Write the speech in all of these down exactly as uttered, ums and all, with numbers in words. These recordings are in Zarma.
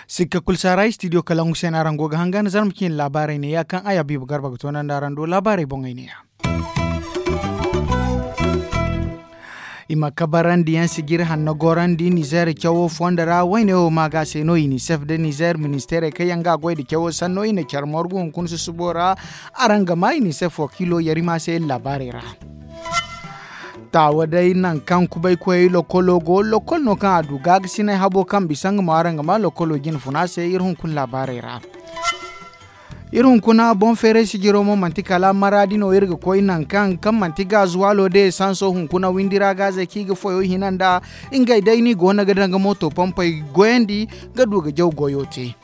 Sikka kulu saara istidiyo kalangu se no araŋ go ga hangan zarma ciine laabaarey neeya kaŋ ay habiibu garba ga toonandi araŋ do laabaarey boŋey neeya. I ma kabarandi yaŋ sijiri hanno gorandi nizeer cawo fondo ra wayne wo ma ga se no inisef nda nizeer ministeerey kaŋ yaŋ ga a goy nda cawo sanno i na care morgu hunkuna susubo ra. Araŋ ga ma inisef wakiilo yarima se iri laabaarey ra. Taawa day nangu kaŋ kubaykoyey lokolo go lokol no kaŋ a du gaagasinay habo kaŋ bisa nga mo araŋ ga ma lokolo jine funa se iri hunkuna laabaarey ra. Iri hunkuna boŋ feeray sijiro mo manti kala maraadi no iri ga koy nangu kaŋ kaŋ manti gaazuwaalo de esanso hunkuna windi ra gaazey kaŋ i ga foyo hina nda ngey day no i go no ga daŋ ga mooto pompey goyandi ga du ga jaw goyo te.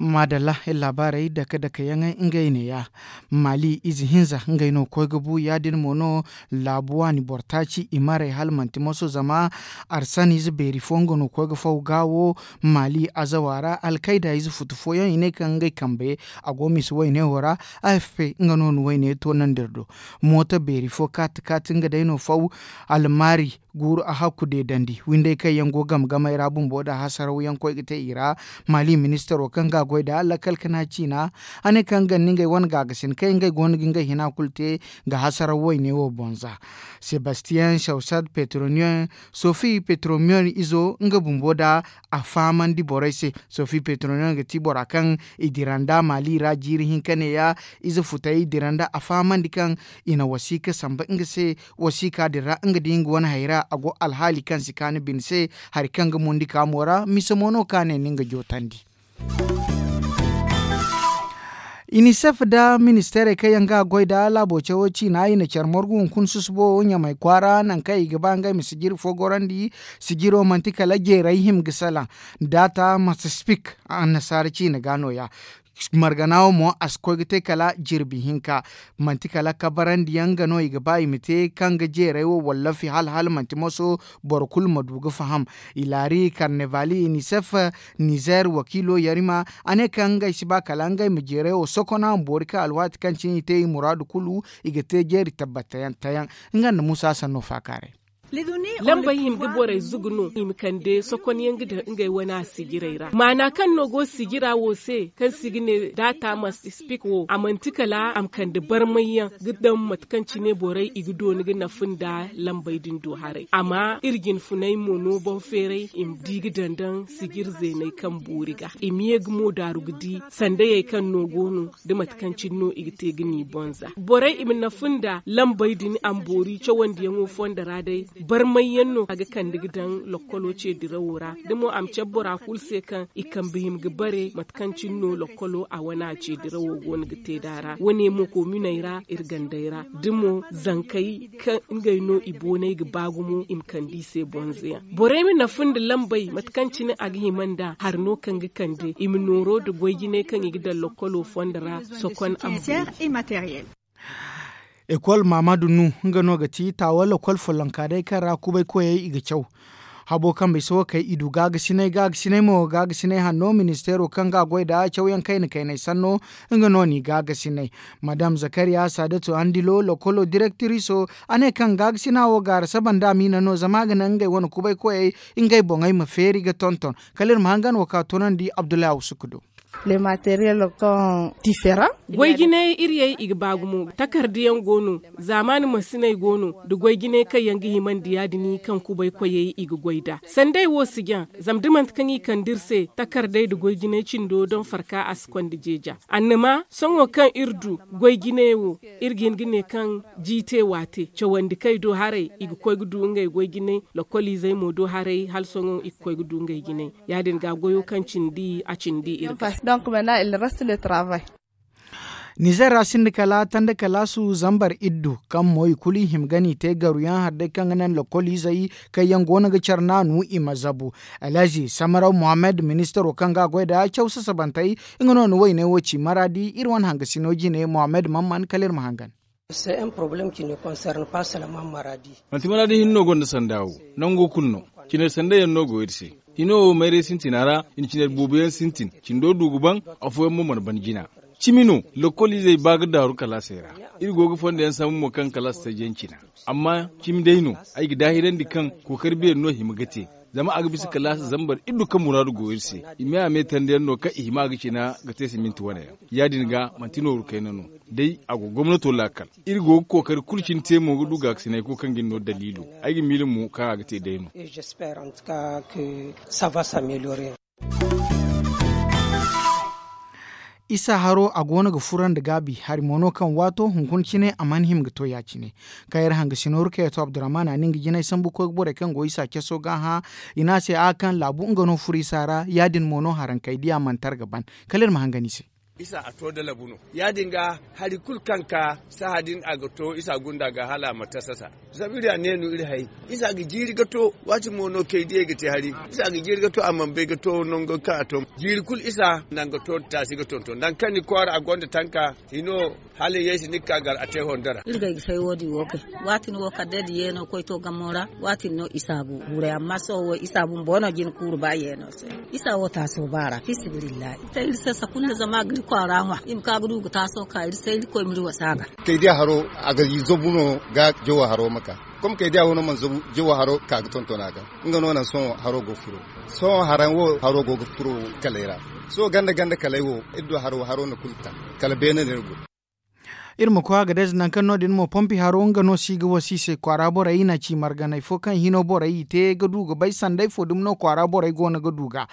Maadalla iri laabaarey dake dake yaŋey ngey neeya. Maali ize hinza ngey no koy ga bu ya- din mo no laabu waani boro taaci i maray hala manti moso zama arsaniize beeri fo nga no koy ga faw ga wo. Maali azawa ra alkayda ize futu fooyaŋ i ne kaŋ ngey kambe a go misa wayne wo ra. Afp nga no na wayne toonandi iri do. Mooto beeri fo kaati kaati nga day no faw almaari guuru a hakku deedandi windey kaŋ yaŋ go game gamey ra bumbo nda hasaraw yaŋ koy ga te i ra. Maali ministaro kaŋ ga a goy nda lakkal kana ciina a ne kaŋ nga nda ngey wane gaagasin kaŋ ngey go no ga ngey hina kulu te ga hasaraw wayne wo boŋ za. Sebastiyaŋ sawsad petroniyaŋ sofi petroniyaŋ izo nga bumbo nda a fahamandi borey se. Sofi petroniyaŋ ga ti bora kaŋ i dira nda maali ra jiiri hinka neeya ize futey i dira nda a fahamandi kaŋ i na wasiika samba nga se. Wasiika din ra nga di nga wane hayra a go alhaali kaŋ si kaani bine se hari kaŋ ga mundi kaamo ra mise mo no kaŋ a ne ni nga jootandi. Inisef nda ministeerey kaŋ yaŋ ga a goy nda laabo cawo ciina i na care morgu hunkuna susubo ɲamay kwaara nangu kaŋ i ga ba ngey ma sijiri fo gorandi. Sijiro manti kala jeeray hima ga salaŋ daata masispik annasaara ciina ga nooya. Margana wo mo a si koy ga te kala jirbi hinka. Manti kala kabarandi yaŋ ga no i ga ba i ma te kaŋ ga jeeray wo wallafi hala hala manti moso boro kulu ma du ga faham. I laari karnevali inisef nizeer wakiilo yarima a ne kaŋ ngey si ba kala ngey ma jeeray wo sokona ma boori kaŋ alwaati kaŋ cine i te i muraadu kulu i ga te jeeri tabbatayaŋ tayaŋ. Nga nda muusa sanno faakaaray. Lambey hima ga borey zugu no i ma kande sokonyaŋ ga daŋ ngey wane a sijirey ra maana kaŋ no go sijira wo se kaŋ si ga ne daata ma si spik wo a manti kala a ma kande barmayyaŋ ga daŋ mate kaŋ cine borey i ga dooni ga nafa nda lambey din do haray amma iri jinfunay mo no boŋ feeray i ma di ga daŋ daŋ sijir zeeney kaŋ boori ga i ma ye ga mo daaru ga di sandayey kaŋ no go no da mate kaŋ cine no i ga te ga ni boŋ za borey i ma nafa nda lambey din a ma boori cawandiyaŋo fondo ra day barmayyaŋ no a ga kande ga daŋ lokkolo ce dirawo ra da mo a ma cabe bora kulu se kaŋ i kambe hima ga bare mate kaŋ cine no lokkolo a wane a ce dirawo go no ga te nd'a ra wane mo kominey ra iri gandey ra da mo zankey kaŋ ngey no i boonay ga ba gumo i ma kande i se bonzeyaŋ borey ma nafa nda lambey mate kaŋ cine a ga hima nd'a hari no kaŋ ga kande i ma nooro nda goy jinay kaŋ i ga daŋ lokkolo fondo ra sokon a ma boori. Ekol maamadu nu nga no ga ti taawa lokol follonka day kaŋ ra kubay koyey i ga caw habo kambe se wo kay i du gaagasinay gaagasinay mo gaagasinay hanno ministeero kaŋ ga a goy nda cawyaŋ kayna kaynay sanno nga no n'i gaagasinay. Madam zakariya saadatu andilo lokolo direktiriso a ne kaŋ gaagasinay wo gaara saba nda a miina no zama a ga naŋ ngey wane kubay koyey ngey boŋey ma feeri ga tonton kala iri ma hangan wo ka toonandi abdullahi awsuku do. Goy jinay iri yay i ga ba gumo takarda yaŋ go no zaamaani masiney go no nda goy jinay kaŋ yaŋ ga himandi ya- din kaŋ kubay koyey i ga goy nd'a sanday wo si jaŋ zama da manti kaŋ i kande iri se takardey nda goy jinay cindo daŋ farka a si konda jeeja annama sohõ kaŋ iri du goy jinay wo iri ga hin ga ne kaŋ jiite waate cawandi kay do haray i ga koy ga du ngey goy jinay lokoliizey mo do haray hala sohõ i ga koy ga du ngey jinay ya- din ga goyo kaŋ cindi a cindi iri ga. Nizer ra sinda kala tanda kalaasu zambar iddu kaŋ mo i kulu i hima ga n'i te garuyaŋ hari day kaŋ ga naŋ lokoliizey kaŋ yaŋ go no ga care naanu i ma zabu. Alhazi samaraw mohammed ministaro kaŋ ga a goy nda caw sasabantey nga no na wayney wo ci maraadi iri wane hangasino jine mohammed mamman kala iri ma hangan. Manti maraadi hinne no gonda sanda wo nango kulu no. Cinay sanday yaŋ no go iri se. Hino wo mayray sintina ra, i na cine boobo yaŋ sintin, cindo du ga ban, afooyaŋ mo mana ban jina. Cimi no, lokol izey ba ga daaru kalaasey ra. Iri go ga fondo yaŋ sambu mo kaŋ kalaas taji yaŋ cina. Amma cimi day no, ay ga daahirandi kaŋ kookari beeri no hima ga te. Zama a ga bisa kalaasa zambar iddu kaŋ muraadu go iri se. I me a me tandi yaŋ no kaŋ i hima ga cina ga te siminti wane yaŋ. Ya- din ga manti nooru kayna no. Day a go gomnato laakal. Iri go ga kookari kulu cine te mo ga du gaakasinay kulu kaŋ ga ni no daliilo. Ay ga miila mo kaŋ a ga te day no. Isa haro a go no ga furo nda gaabi hari mo no kaŋ waato hunkuna cine a mana hima ga to ya- cine. Kaŋ iri hanga sinooru kaŋ yaŋ to abdurrahman a na nga jinay sambu koy ga borey kaŋ go isa caso ga hã. I ne a se a kaŋ laabu nga no furo isa ra ya- din mo no harankey di a mana tara ga ban. Kala iri ma hangan i se. Isa a to da labu no. Ya- din ga hari kulu kaŋ ka sahã din a ga to isa gunda ga hala a ma tasasa. Zama iri a neenu iri hay. Isa ga jiiri ga to. Waati mo no kay diyey ga te hari. Isa ga jiiri ga to a mana bay ga to nango kaŋ a to. Jiiri kulu isa naŋ ga to taasi ga tonton danga kaŋ ni kwaara a gonda tanka. Hino hala yay si ni ga ka gar a te hondora. Iri ga ay ga say wo- din wo kay. Waati ni wo kala day da yeeno koy to gamo ra. Waati ni no isa go guray amma sohõ wo isa bumbo no jina kuuru ba yeeno se. Isa wo taaso ba ra fisibilillahi. Iri te iri se sakulla zama a ga iri kwaara ŋwa i ma ka ga du ga taaso ka iri se iri koy ma iri wasa ga. Kay diya haro a ga zabu no ga jawo haro ma ka. Kom kay diya wo no mana zabu jawo haro ka ga tonton a ga. Nga no naŋ sohõ haro go ga furo. Sohõ haraŋ wo haro go ga furo kalay ra. Sohõ ganda ganda kalay wo iri du haro haro na kulu taŋ. Kala beene no iri go. Iri ma koy a ga day za nangu kaŋ no- din mo pompi haro nga no si ga wasa i se kwaara borey i na ci marganay fo kaŋ hino borey i te ga du ga bay sanday fo dumi no kwaara borey go no ga du ga.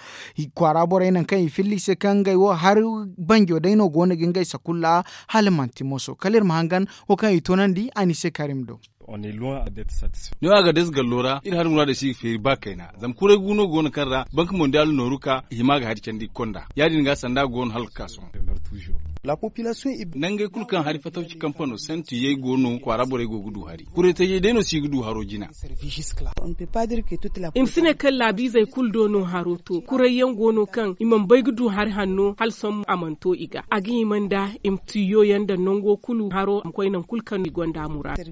Kwaara borey nangu kaŋ i filla i se kaŋ ngey wo hari banjo day no go no ga ngey sakulla. Hala manti moso kala iri ma hangan wo kaŋ i toonandi a ni se karim do. Ni wo a ga day za gallo ra iri hari muraadey si ga feeri ba kayna zama kuray gu no go no kaŋ ra banka mondiyaal nooru ka i hima ga hari candi konda ya- din ga sanda go no hala ga ka sohõ. Nangey kulu kaŋ hari fatawci kampano santu yay go no kwaara borey go ga du hari kuray tajey day no si ga du haro jina. I ma si ne kaŋ laabiizey kulu do no haro to kuray yaŋ go no kaŋ i mana bay ga du hari hanno hala sohõ a mana to i ga a ga hima nda i ma tiyo yaŋ daŋ nango kulu haro a ma koy nangu kulu kaŋ no i gonda muraadu.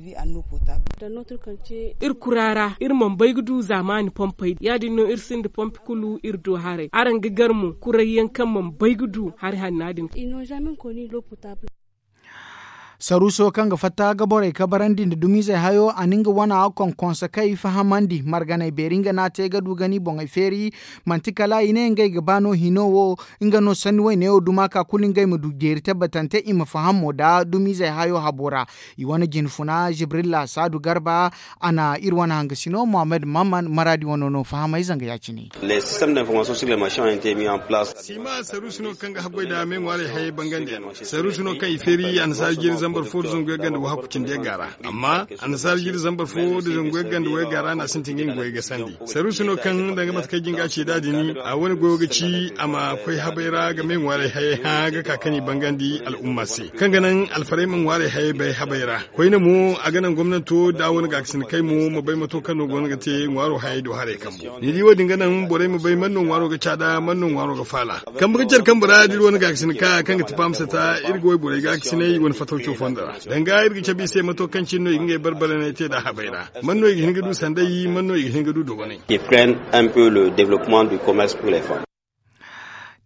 Iri kura ra iri mana bay ga du zaamaani pompey ya- din no iri sinda pompe kulu iri du haray araŋ ga gar mo kuray yaŋ kaŋ mana bay ga du hari hanna din. Saruuso kaŋ ga fatta ga borey kabarandi nda dumizey hayo a na nga wana konkonso kaŋ i fahamandi marganey beeri nga no a te ga du ga ni boŋey feeri. Manti kala i ne ngey ga ba no hino wo nga no sanni wayne wo duma ka kulu ngey ma du jeeri tabbatante i ma faham mo nda dumizey hayo habo ra. I wane jinfuna jibrilla saadu garba a na iri wane hangasino muhammad mamman maraadi wano no fahamay zanga ya- cine. Sima saruusi no kaŋ ga haggoy nda me ŋwaarey hayey bangandi yaŋ no saruusi no kaŋ i feeri annasaara jiiri zambar fo nda zangu yagga nda wahakku cindi yagga ra. Amma annasaara jiiri zambar fo nda zangu yagga nda wayagga ra no a sintin ga nga goyey gasandi. Saruusi no kaŋ danga mate kaŋ ay jin ga a ci nd'a din a wane goyo ga ci a ma koy habay ra ga me ŋwaarey hayey hã ga ka kaŋ i bangandi al'umma se kaŋ ga naŋ alfarey ma ŋwaarey hayey bay habay ra. Koyne mo a ga naŋ gomnanto nda a wane gaakasinakey mo ma bay mato kaŋ no go no ga te ŋwaaro hayey do haray kambo. Ni di wo- din ga naŋ borey ma bay man no ŋwaaro ga caada man no ŋwaaro ga faala. Kambe ga care kambe ra da iri wane gaakasinaka kaŋ ga ti paamsata iri ga wayborey gaakasinay wane fatawco fondo ra. Danga iri ga cabe i se mato kaŋ cine no i ga ngey barbaranay te nd'a habay ra. Man no i ga hin ga du sanday man no i ga hin ga du dogonay.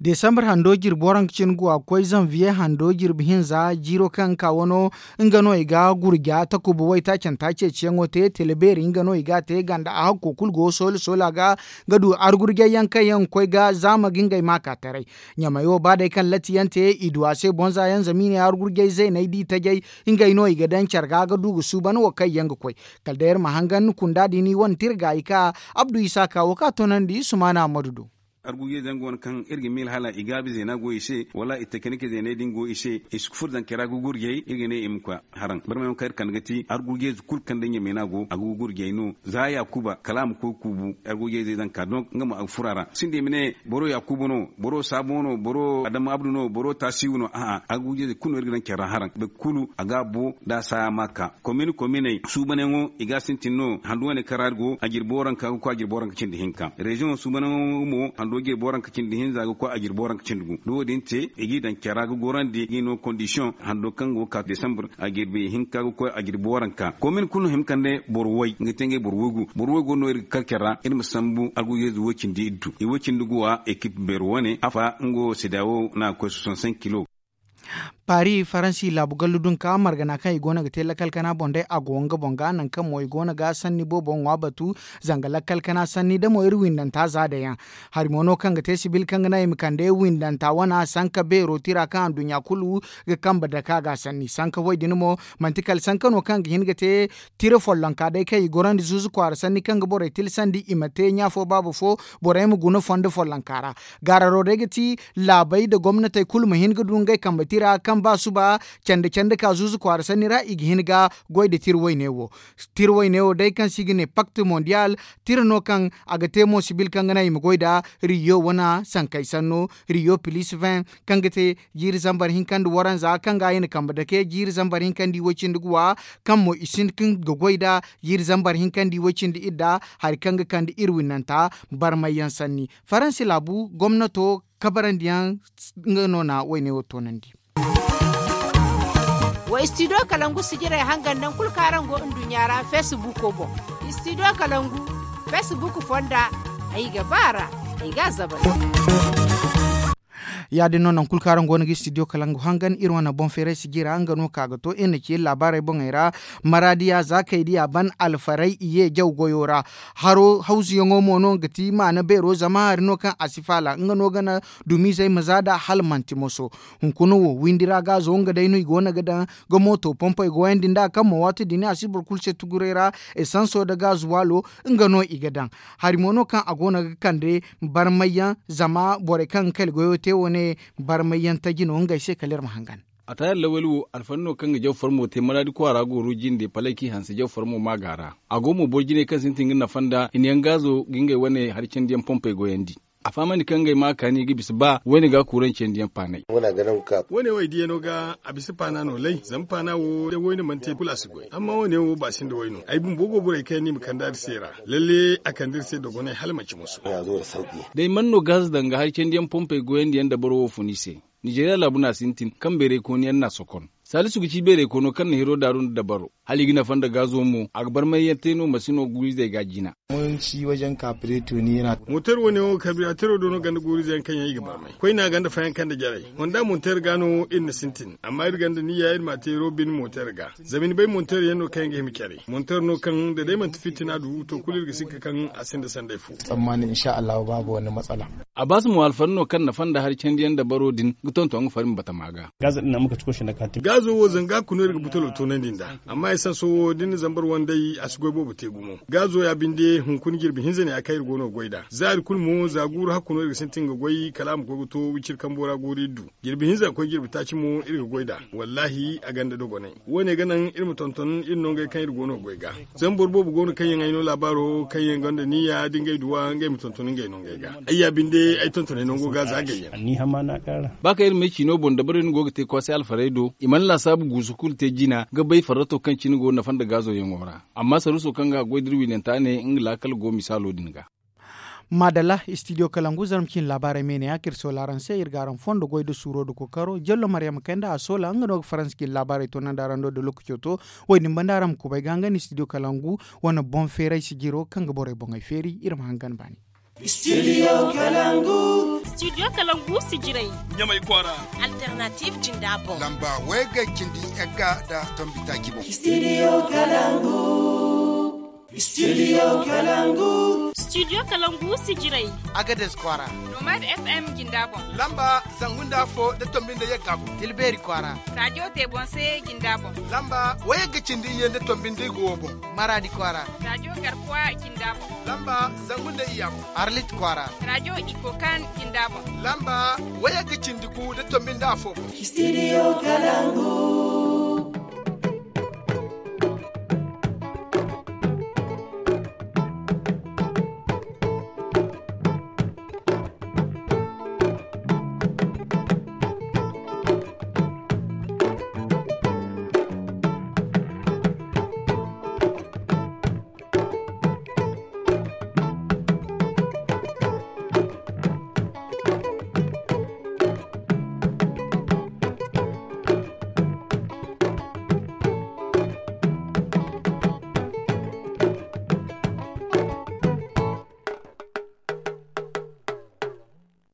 Desambar hando jirbi waranka cine go a ga koy zanviye hando jirbi hinza jiiro kaŋ ga ka wano. Nga no i ga gurja takuba waytaacanta ceeciyaŋo te tele beeri nga no i ga a te ganda a hakko kulu go soola soola ga ga du argurjay yaŋ kaŋ yaŋ ga koy ga zaama ga ngey ma ka taray. Ɲamay wo ba day kaŋ latti yaŋ te i du a se bonza yaŋ zama i ne argurjay zeeney da i tajay. Ngey no i ga daŋ care ga ga du ga suuban wo kaŋ yaŋ ga koy. Kala day iri ma hangan kunda din i wane tirga i ka abdu isa ka wo kaŋ a toonandi sumaana ammadu do. Argurjey zanga wane kaŋ iri ga miila hala i gaabi zeena go i se wala i takanike zeeney din go i se i si ga furo zankey ra ga gurjay iri ga ne i ma koy. Haraŋ barmayaŋo kaŋ iri kande ga ti argurjey kulu kaŋ day ɲamay no a go a ga gurjay no za yaakuba kala a ma koy kuubu. Argurjey zanga ka donk nga mo a ga furo a ra sinda i ma ne boro yaakuba no boro saabo no boro adama abdu no boro taasiwu no a'a argurjey kulu no iri ga daŋ care ra haraŋ boro kulu a ga a bo da a saaya ma a ka. Komin kominey suubanyaŋo i ga a sintin no handu wane kaŋ ra iri go a jirbi waranka ga koy a jirbi waranka cindi hinka reziyoŋo suubanyaŋo mo. Do jirbi waranka cindi hinza ga koy a jirbi waranka cindi gu da wo- din te i g'i daŋ care ra ga gorandi g'i no kondisiyoŋ hando kaŋ go ga ka desambur a jirbi hinka ga koy a jirbi waranka komin kulu no hima kande boro way nga te ngey boro waygu boro waygu no iri ga kar care ra iri ma sambu algu yeezu way cindi iddu i way cindi guwa ekip beero wane afa nga wo seeda wo no a ga koy soixante cinq kilo. Paris faransi laabu gallu dunka margana kaŋ i go no ga te lakkal kana boŋ day a go nga boŋ ga nangu kaŋ mo i go no ga sanni boobo ŋwa batu zanga lakkal kana sanni da mo iri windanta za day yaŋ. Hari mo no kaŋ ga te sibil kaŋ ga naŋ i ma kande windanta wana sanka beero tira kaŋ anduɲɲa kulu ga kambe dake a ga sanni sanka way din mo manti kala sanka no kaŋ ga hin ga te tira follonka day kaŋ i gorandi zuuzu kwaara sanni kaŋ ga borey tilsandi i ma te ɲa fo baaba fo borey ma guna fondo follonka ra. Gaararo day ga ti laabey nda gomnatey kulu ma hin ga du ngey kambe tira kaŋ ba suba candi candi ka zuuzu kwaara sanni ra i ga hin ga goy nda tira wayne wo. Tira wayne wo day kaŋ se i ga ne pakti mondiyal tira no kaŋ a ga te mo sibil kaŋ ga naŋ i ma goy nda riyo wana sankey sanno riyo pilis vin kaŋ ga te jiiri zambar hinka nda waranza kaŋ ga i na kambe dake jiiri zambar hinka nda i way cindi ga wa kaŋ mo i sinda kaŋ ga goy nda jiiri zambar hinka nda i way cindi idda hari kaŋ ga kande iri winnanta barmay yaŋ sanni. Faransi laabu gomnato kabarandiyaŋ nga no na wayne wo toonandi. Wa istidiyo kalangu sijirey hangan naŋ kulu kaŋ araŋ go nduɲɲa ra feesibuuko boŋ. Istidiyo kalangu feesibuuko fonda ay ga ba a ra ay ga a zabari. Ya- din no naŋ kulu kaŋ araŋ go no ga istidiyo kalangu hangan iri wane boŋ feeray sijira nga no ka ga to iri na ci iri laabaarey boŋey ra. Maraadiya za kay diya ban alfaray i ye jaw goyo ra. Haro hawzuyaŋo mo no ga ti maana beero zama hari no kaŋ a si faala nga no ga na dumizey ma za nd'a hala manti moso. Hunkuna wo windi ra gaazo nga day no i go no ga daŋ ga mooto pompey goyandi nd'a kaŋ mo waati din a si boro kulu se tuguray ra. Esanso nda gaazuwaalo nga no i ga daŋ. Hari mo no kaŋ a go no ga kande barmayyaŋ zama borey kaŋ ga kali goyo te wo ne barmayyaŋ taji no ngey se kala iri ma hangan. A taayar lawali wo alfani no kaŋ ga jaw farmo te maraadi kwaara gooro jinde palay kaŋ i hanse jaw farmo maaga ra. A go mo boro jinay kaŋ sintin ga nafa nda hinayaŋ gaazo ga ngey wane hari candiyaŋ pompey goyandi. A fahamandi kaŋ ngey ma a kaani ga bisa ba wayne ga kuuraŋ candiyaŋ paanay. Wo- ne wo ay diyano ga a bisa paana no lay zama paana wo da wayne mana te kulu a si goy amma wo- ne wo ba sinda way no ay bumbo go borey kaŋ yaŋ no i ma kande iri se ra. Lalle a kande iri se dogonay hala manci moso. Day mana no gaaza danga hari candiyaŋ pompey goyandi yaŋ dabaro wo fun i se. Nizeeriya laabu no a sintin kaŋ beeray kooni yaŋ no a sokon. Saalisu ga ci beeray koono kaŋ na hiro daaru nda dabaro. Hala i ga nafa nda gaazo mo a ga barmay yaŋ te no masino guurizey ga a jina. Mootar wo- ne wo karbiratero do no ganda guurizey yaŋ kaŋ yaŋ i ga barmay koyne a ganda fayanka nda jarey. Honda monter ga no iri na sintin amma iri ganda niyya iri ma a te robin monter ga. Zama ni bay monter yaŋ no kaŋ yaŋ ga hima care monter no kaŋ da day manti fitina du to kulu iri ga sinka kaŋ a sinda sanday fo. Tsammani insha allahu babu wani matsala. A ba se mo alfari no kaŋ nafa nda hari candiyaŋ dabaro din ga tonton nga fari ma batama ga. Gaazo wo zanga ga kuna iri ga butalo toonandi nd'a. Amma ay sanso wo da ni na zambar wanday a si goy boobo te gumo. Gaazo ya binde hunkuna jirbi hinza ne a kaŋ iri go no ga goy nd'a za iri kulu mo za guuru hakku no iri ga sintin ga goy kala a ma koy ga to wiciri kambo ra goori iri du. Jirbi hinza ga koy jirbi taaci mo iri ga goy nd'a. Wallaahi a gonda dogonay. Wo- ne ga naŋ iri ma tonton iri nongey kaŋ iri go no ga goy ga. Zama boro boobo go no kaŋ yaŋ ay no laabaaro kaŋ yaŋ gonda niyya da ngey duwa ngey ma tonton ngey nongey ga. Ay ya binde ay tontonay nango ga za gayyaŋ. Ba kaŋ iri ma ay ciino boŋ dabarey no go ga te kwaasay alfarey do i mana laasaabu guusu kulu te jina ga bay farrato kaŋ cine go nafa nda gaazoyaŋo ra. Amma saruuso kaŋ ga a goy da iri wiinanta ne nga laakal go misaalo din ga. Maadalla istidiyo kalangu zarma cine laabaarey me ne ya kaŋ iri soola araŋ se iri ga araŋ fondo goy nda suuro nda kookaro jallo maryama kay nda a soola nga no ga faransa cine laabaarey toonandi araŋ do nda lookaco to. Wo- din banda araŋ ma kubay ga nga nda istidiyo kalangu wane boŋ feeray sijiro kaŋ ga borey boŋey feeri iri ma hangan baani. Istidiyo kalangu. Istidiyo kalangu sijirey. Ɲamay kwaara. Alternative jinda boŋ. Lamba wayga cindi yagga nda tombi taaci boŋ. Istidiyo kalangu. Studio kalangu. Studio kalangu sijirey. Agades kwaara. Nomad fm jinda boŋ. Lamba zangu nda afo nda tombi nda yagga boŋ. Tilbeeri kwaara. Rajo tebonse jinda boŋ. Lamba wayagga cindi iyye nda tombi nda igo boŋ. Maraadi kwaara. Rajo garkuwa jinda boŋ. Lamba zangu nda iyya boŋ. Arlit kwaara. Rajo ikokan jinda boŋ. Lamba wayagga cindi gu nda tombi nda afo boŋ. Studio kalangu.